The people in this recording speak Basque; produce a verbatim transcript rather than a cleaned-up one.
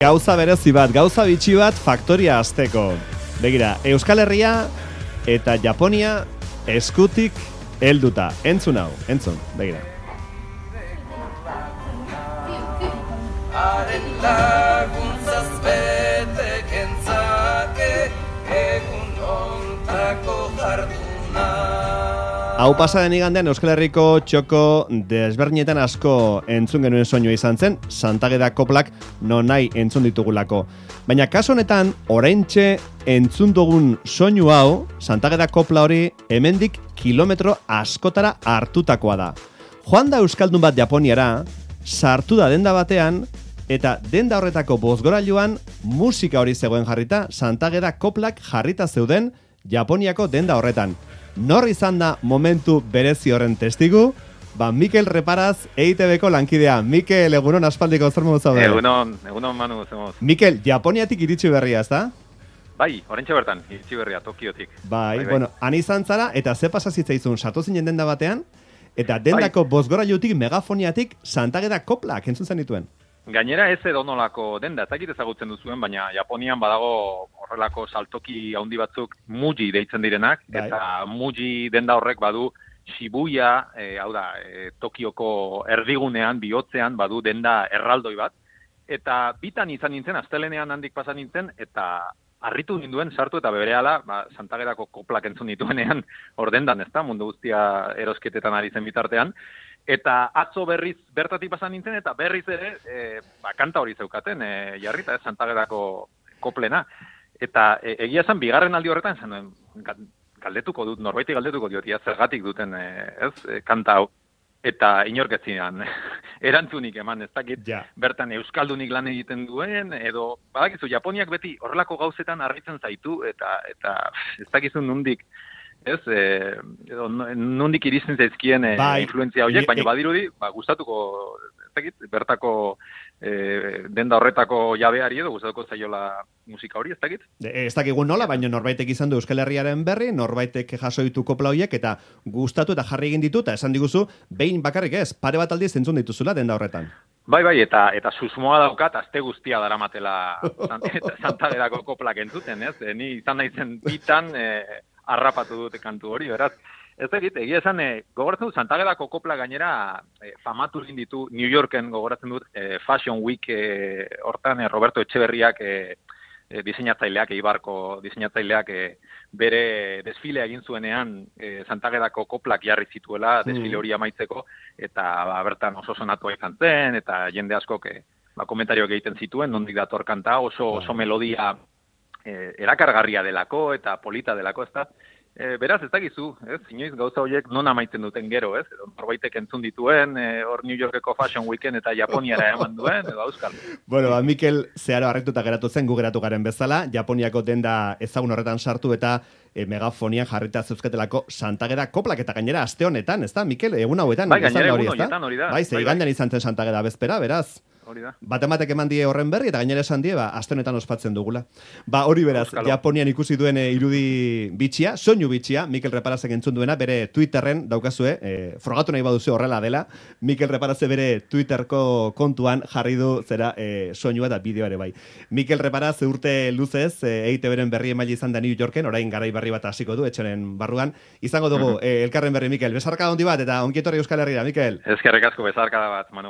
Gauza berezi bat, gauza bitxi bat faktoria azteko. Begira, Euskal Herria eta Japonia eskutik helduta. Entzun hau, entzun, begira. Haren laguntzaz bete kentzake egun ontako jarduna. Hau pasaden igandean Euskal Herriko txoko desberdinetan asko entzun genuen soinua izan zen, Santageda koplak non nahi entzun ditugulako. Baina kasu honetan, oraintxe entzun dugun soinu hau, Santageda kopla hori hemendik kilometro askotara hartutakoa da. Joan da euskaldun bat Japoniara, sartu da denda batean, eta denda horretako bozgorailuan musika hori zegoen jarrita, Santageda koplak jarrita zeuden Japoniako denda horretan. Nor izan da momentu berezi horren testigu? Ba, Mikel Reparaz, E I T B ko lankidea. Mikel, egunon aspaldiko zer modu zaude? Egunon, egunon Manu, zemoz. Mikel, Japoniatik iritsi berria, ezta? Bai, orentxe bertan, iritsi berria, Tokiotik. Bai, bai, bai. Bueno, han izan zara, eta ze pasazitzaizun, sartu zinen denda batean, eta dendako bai. Bozgorailutik, megafoniatik, Santageda koplak entzun zenituen. Gainera ez edonolako denda, ez dakit ezagutzen duzuen, baina Japonian badago horrelako saltoki handi batzuk Muji deitzen direnak, bai. Eta Muji denda horrek badu Shibuya, e, hau da, e, Tokioko erdigunean, bihotzean badu denda erraldoi bat, eta bitan izan nintzen, astelenean handik pasan nintzen, eta harritu ninduen sartu eta berehala, ba, Santagedako koplak entzun dituenean hor dendan, ezta, mundu guztia erosketetan ari zen bitartean, eta atzo berriz bertatik pasan nintzen, eta berriz ere, e, ba, kanta hori zeukaten, e, jarrita ez Santagedako koplena. Eta e, egia esan, bigarren aldi horretan, esan duen, galdetuko dut, norbaiti galdetuko diot, ia zergatik duten, e, ez, e, kanta hau. Eta inorketzinean, erantzunik eman, ez dakit, ja. Bertan euskaldunik lan egiten duen, edo, badakizu, Japoniak beti horrelako gauzetan harritzen zaitu, eta, eta ez dakizu nundik, ez, e, edo, nundik iristen zaizkien e, bai, influenzia horiek, baina badirudi, ba, gustatuko, ez dakit, bertako e, denda horretako jabeari edo gustatuko zaiola musika hori, ez dakit? Ez dakigun nola, baina norbaitek izan du Euskal Herriaren berri, norbaitek jaso ditu kopla horiek, eta gustatu eta jarri egin ditu, eta esan diguzu, behin bakarrik ez, pare bat aldiz entzun dituzula denda horretan. Bai, bai, eta eta susmoa daukat, aste guztia daramatela Santagedako koplak entzuten, ez? E, ni izan naizen bitan, e, harrapatu dute kantu hori, beraz. Ez egit, egia esan, e, gogoratzen dut, Santagedako kopla gainera e, famatu egin ditu New Yorken, gogoratzen dut, e, Fashion Week e, hortan, e, Roberto Etxeberriak e, e, diseinatzaileak, Eibarko diseinatzaileak e, bere desfilea egin zuenean e, Santagedako koplak jarri zituela, desfile hori amaitzeko, eta ba, bertan oso sonatua izan zen, eta jende askok e, ba, komentarioak egiten zituen, nondik dator kanta, oso, oso melodia e, erakargarria delako, eta polita delako, ez da. E, beraz, ez dakizu, ez? Inoiz gauza horiek non amaitzen duten gero, ez? Edo norbaitek entzun dituen, e, hor New Yorkeko Fashion Weekend eta Japoniara eman duen, edo auskal. Bueno, ba, Mikel zeharo harrituta geratu zen, gu geratu garen bezala, Japoniako denda ezagun horretan sartu eta e, megafonian jarrita zeuzketelako Santageda koplak eta gainera aste honetan, ez da, Mikel? Egun hauetan, bai, gainera egun horietan hori da. Bai, ze igandean izan zen Santageda bezpera, beraz. Bat ematek eman die horren berri, eta gainera esan die, ba, aste honetan ospatzen dugula. Ba, hori beraz, Euskalo. Japonian ikusi duen e, irudi bitxia, soinu bitxia, Mikel Reparazek entzun duena, bere Twitterren daukazue, e, frogatu nahi baduzu horrela dela, Mikel Reparazek bere Twitterko kontuan jarri du zera e, soinua eta bideo ere bai. Mikel Reparaz urte luzez, e, E I T B-ren berri emaile izan da New Yorken, orain garai berri bat hasiko du, etxeren barruan. Izango dugu, e, elkarren berri, Mikel, besarka handi bat, eta onkietorri Euskal Herrira, Mikel. Ezkerrik asko, besarka bat, Manu.